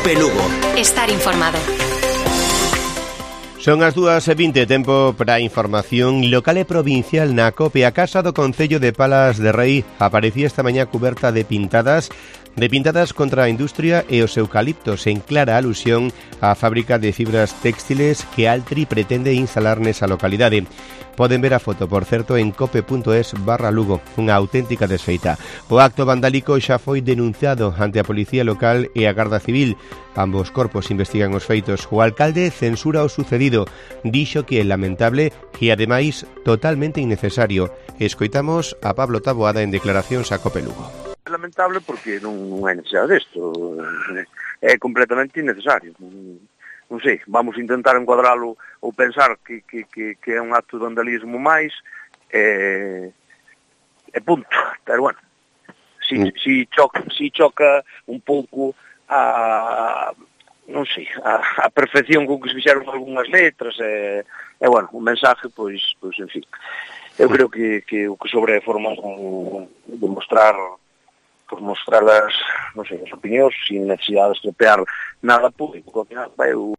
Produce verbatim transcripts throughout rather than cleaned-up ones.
COPE Lugo. Estar informado. Son as dúas e vinte, tempo para a información local e provincial na COPE. A Casa do Concello de Palas de Rei aparecía esta mañá cuberta de pintadas de pintadas contra a industria e os eucaliptos, en clara alusión á fábrica de fibras textiles que Altri pretende instalar nesa localidade. Poden ver a foto, por certo, en cope.es barra Lugo, unha auténtica desfeita. O acto vandálico xa foi denunciado ante a Policía Local e a Garda Civil. Ambos corpos investigan os feitos. O alcalde censura o sucedido. Dixo que é lamentable e, ademais, totalmente innecesario. Escoitamos a Pablo Taboada en declaracións a COPE Lugo. É lamentable porque non é necesario desto. É completamente innecesario. Non sei, vamos intentar encuadralo ou pensar que, que, que, que é un acto de vandalismo máis e, e punto. Pero bueno, si, mm. si, choca, si choca un pouco a, non sei, a, a perfección con que se fixeron algunhas letras e, e bueno, o mensaje, pois, pois en fin. Eu creo que, que o que sobre é forma de mostrar por mostrar as, non sei, as opinións sin necesidade de estropear nada público. Eu...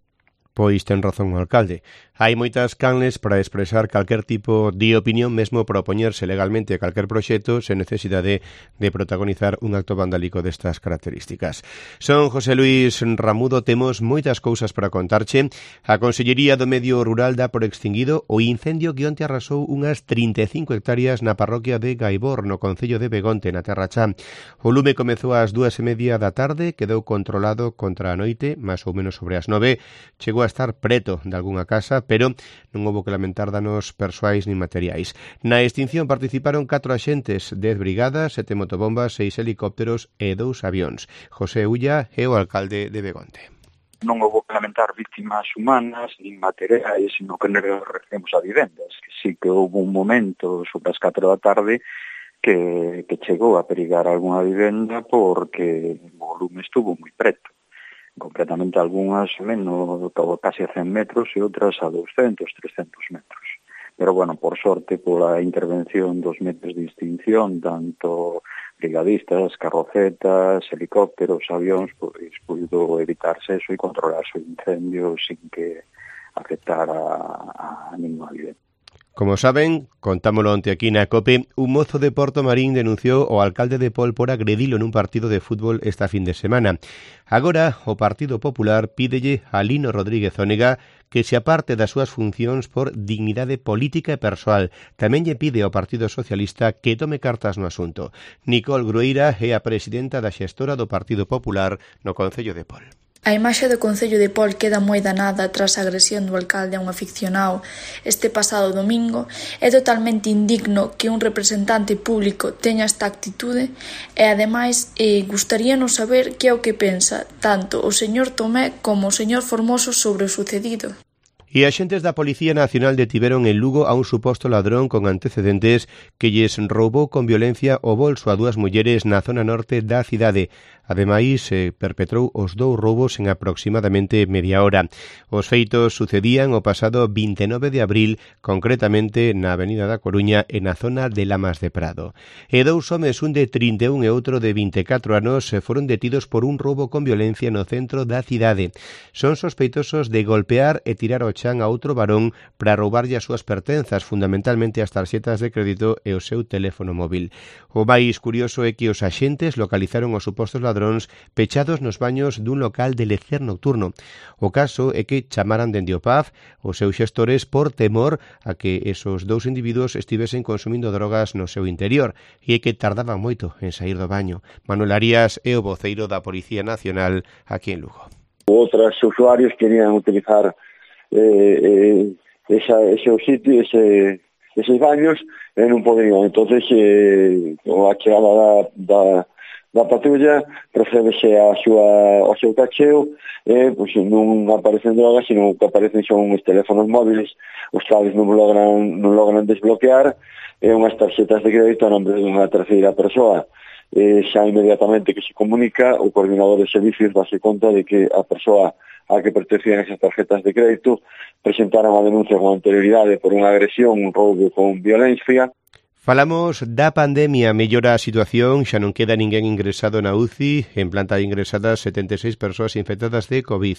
Pois ten razón o alcalde. Hai moitas canles para expresar calquer tipo de opinión, mesmo para opoñerse legalmente a calquer proxecto sen necesidade de protagonizar un acto vandálico destas características. Son José Luis Ramudo, temos moitas cousas para contarche. A Consellería do Medio Rural dá por extinguido o incendio que onte arrasou unhas trinta e cinco hectáreas na parroquia de Gaibor, no concello de Begonte, na Terra Chá. O lume comezou ás dúas e media da tarde, quedou controlado contra a noite, máis ou menos sobre as nove, chegou a estar preto de algunha casa, pero non houbo que lamentar danos persoais nin materiais. Na extinción participaron catro axentes, dez brigadas, sete motobombas, seis helicópteros e dous avións. José Ulla é o alcalde de Begonte. Non houbo que lamentar vítimas humanas nin materiais, sino que nos referimos a vivendas. Que sí que houve un momento sobre as catro da tarde que, que chegou a perigar algunha vivenda porque o volume estuvo moi preto. Concretamente algunhas menos, casi a cen metros e outras a doscientos, trescentos metros. Pero, bueno, por sorte, pola intervención dos medios de extinción, tanto brigadistas, carrocetas, helicópteros, avións, pois puido evitarse eso e controlarse o incendio sin que afectara a, a ninguna vivenda. Como saben, contámolo onte aquí na COPE, un mozo de Porto Marín denunciou ao alcalde de Pol por agredilo nun partido de fútbol esta fin de semana. Agora, o Partido Popular pídelle a Lino Rodríguez Ónega que se aparte das súas funcións por dignidade política e persoal. Tamén lle pide ao Partido Socialista que tome cartas no asunto. Nicole Grueira é a presidenta da xestora do Partido Popular no Concello de Pol. A imaxe do Concello de Pol queda moi danada tras a agresión do alcalde a un aficionado este pasado domingo. É totalmente indigno que un representante público teña esta actitude e, ademais, eh, gustaríanos saber que é o que pensa tanto o señor Tomé como o señor Formoso sobre o sucedido. E axentes da Policía Nacional detiveron en Lugo a un suposto ladrón con antecedentes que lles roubou con violencia o bolso a dúas mulleres na zona norte da cidade. Ademais, se perpetrou os dous roubos en aproximadamente media hora. Os feitos sucedían o pasado vinte e nove de abril, concretamente na Avenida da Coruña e na zona de Lamas de Prado. E dous homes, un de trinta e un e outro de vinte e catro anos, foron detidos por un roubo con violencia no centro da cidade. Son sospeitosos de golpear e tirar ao chan a outro varón para roubarlle as súas pertenzas, fundamentalmente as tarxetas de crédito e o seu teléfono móvil. O máis curioso é que os axentes localizaron os supostos ladróns pechados nos baños dun local de lecer nocturno. O caso é que chamaran dende o P A F os seus xestores por temor a que esos dous individuos estivesen consumindo drogas no seu interior e é que tardaban moito en sair do baño. Manuel Arias é o voceiro da Policía Nacional aquí en Lugo. Outros usuarios querían utilizar eh, eh, esa, ese sitio, ese, esos baños e non podían. Entonces, eh, a chegada da, da, da patrulla procedese a súa, ao seu cacheo e pues, non aparecen drogas, sino que aparecen son os teléfonos móviles, os cales non logran, non logran desbloquear e unhas tarxetas de crédito a nombre dunha terceira persoa. Eh, xa inmediatamente que se comunica, o coordinador de servicios dase conta de que a persoa a que pertencían esas tarjetas de crédito presentaron a denuncia con anterioridade por unha agresión, un roubo con violencia. Falamos da pandemia, mellora a situación, xa non queda ninguén ingresado na U C I, en planta ingresadas setenta e seis persoas infectadas de COVID.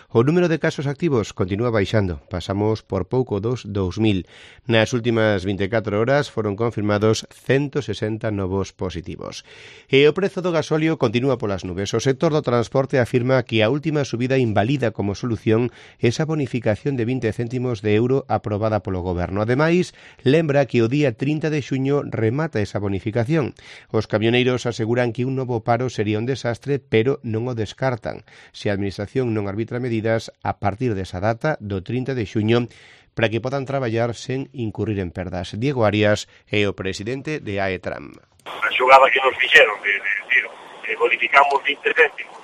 O número de casos activos continúa baixando, pasamos por pouco dos dous mil. Nas últimas vinte e catro horas foron confirmados ciento sesenta novos positivos. E o prezo do gasóleo continúa polas nubes. O sector do transporte afirma que a última subida invalida como solución esa bonificación de vinte céntimos de euro aprobada polo goberno. Ademais, lembra que o día trinta de xuño remata esa bonificación. Os camioneiros aseguran que un novo paro sería un desastre, pero non o descartan. Se a Administración non arbitra medidas a partir desa data, do trinta de xuño, para que podan traballar sen incurrir en perdas. Diego Arias é o presidente de AETRAM. A xogada que nos fixeron, de, de, de, de bonificamos vinte céntimos,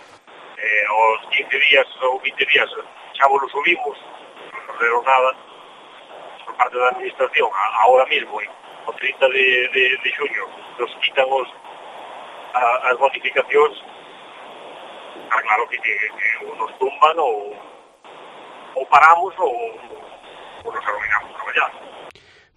eh, aos quince días ou vinte días xa vos lo subimos, non nos nada, por parte da Administración, ahora mismo, o trinta de, de, de xuño, nos quitan os, a, as bonificacións, ah, claro que, que, que ou nos tumban ou, ou paramos ou, ou nos arruinamos a traballar.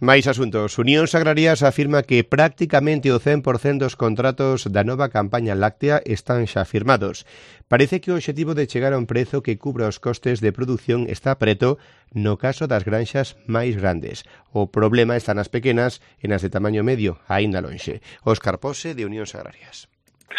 Mais asuntos. Unións Agrarias afirma que prácticamente o cen por cento dos contratos da nova campaña láctea están xa firmados. Parece que o obxectivo de chegar a un prezo que cubra os costes de produción está preto no caso das granxas máis grandes. O problema está nas pequenas e nas de tamaño medio, aínda lonxe. Óscar Pose, de Unións Agrarias.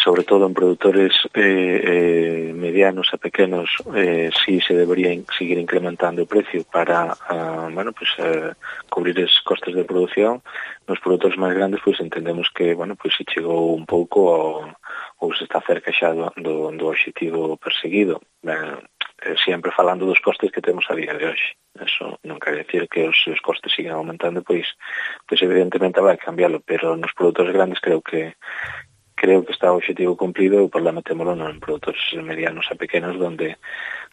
Sobre todo en produtores eh, eh, medianos a pequenos, eh, sí se debería in, seguir incrementando o precio para uh, bueno, pues, uh, cubrir os costes de produción. Nos produtores máis grandes, pois pues, entendemos que bueno, pues, se chegou un pouco ao, ou se está cerca xa do, do, do objetivo perseguido. Eh, sempre falando dos costes que temos a día de hoxe. Eso non quere decir que os, os costes sigan aumentando, pois, pois evidentemente vai cambiarlo, pero nos produtores grandes creo que creo que está o objetivo cumplido, e o problema témolo non en produtores medianos a pequenos donde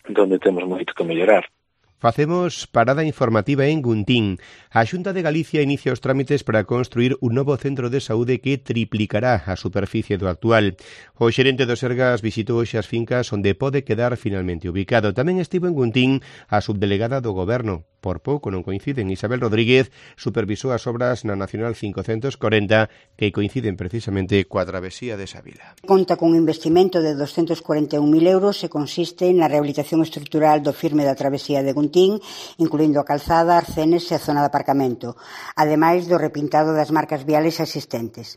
donde temos moito que mellorar. Facemos parada informativa en Guntín. A Xunta de Galicia inicia os trámites para construir un novo centro de saúde que triplicará a superficie do actual. O xerente do Sergas visitou hoxe as fincas onde pode quedar finalmente ubicado. Tamén estivo en Guntín a subdelegada do Goberno. Por pouco non coinciden. Isabel Rodríguez supervisou as obras na Nacional quinhentos corenta que coinciden precisamente coa travesía de Sabila. Conta con un investimento de doscientos cuarenta e un mil euros e consiste na rehabilitación estrutural do firme da travesía de Guntín, incluindo a calzada, arcenes e a zona de aparcamento, ademais do repintado das marcas viales existentes.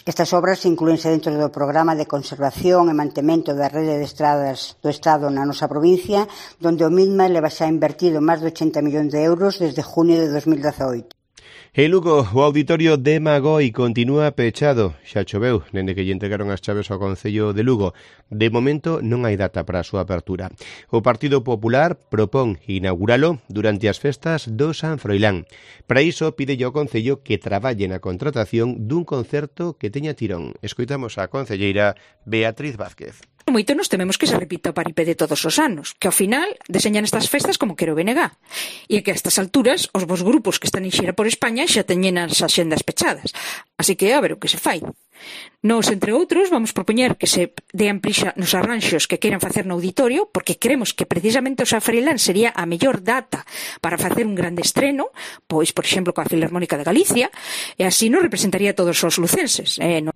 Estas obras inclúense dentro do programa de conservación e mantemento da rede de estradas do Estado na nosa provincia, donde o mesma leva xa invertido máis de ochenta millóns de euros desde junio de dos mil dezaoito. En Lugo, o auditorio de Magoi continúa pechado. Xa choveu, dende que lle entregaron as chaves ao Concello de Lugo. De momento non hai data para a súa apertura. O Partido Popular propón inauguralo durante as festas do San Froilán. Para iso, pide ao Concello que traballe na contratación dun concerto que teña tirón. Escoitamos a concelleira Beatriz Vázquez. Moito nos tememos que se repita o paripé de todos os anos, que ao final deseñan estas festas como quero B N G, e que a estas alturas os vos grupos que están en xira por España xa teñen as axendas pechadas. Así que a ver o que se fai. Nos, entre outros, vamos propoñer que se dean prixa nos arranxos que queiran facer no auditorio, porque creemos que precisamente o San Froilán sería a mellor data para facer un grande estreno, pois, por exemplo, coa Filarmónica de Galicia, e así nos representaría a todos os lucenses. Eh, no...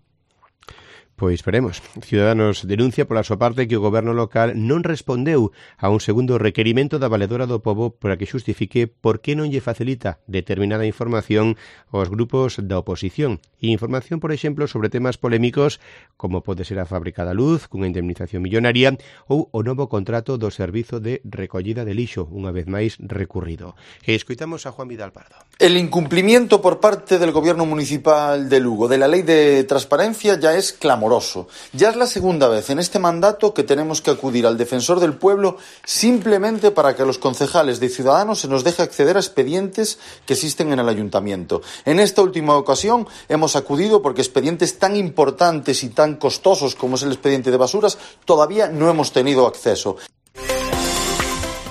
Pois veremos. Ciudadanos denuncia pola súa parte que o goberno local non respondeu a un segundo requerimento da Valedora do Pobo para que xustifique por que non lle facilita determinada información aos grupos da oposición. E información, por exemplo, sobre temas polémicos como pode ser a fábrica da luz, cunha indemnización millonaria, ou o novo contrato do servizo de recollida de lixo, unha vez máis recurrido. E escoitamos a Juan Vidal Pardo. El incumplimiento por parte del gobierno municipal de Lugo de la ley de transparencia ya es clamoroso. Ya es la segunda vez en este mandato que tenemos que acudir al defensor del pueblo simplemente para que a los concejales de Ciudadanos se nos deje acceder a expedientes que existen en el ayuntamiento. En esta última ocasión hemos acudido porque expedientes tan importantes y tan costosos como es el expediente de basuras todavía no hemos tenido acceso.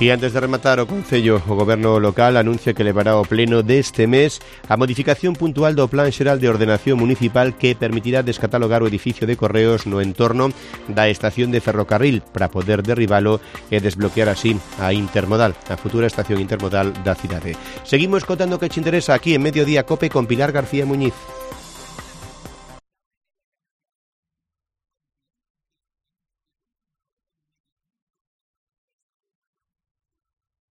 E antes de rematar o Concello, o Goberno local anuncia que levará ao pleno deste mes a modificación puntual do Plan Xeral de Ordenación Municipal que permitirá descatalogar o edificio de Correos no entorno da estación de ferrocarril para poder derribalo e desbloquear así a Intermodal, a futura estación intermodal da cidade. Seguimos contando que te interesa aquí en Mediodía Cope con Pilar García Muñiz.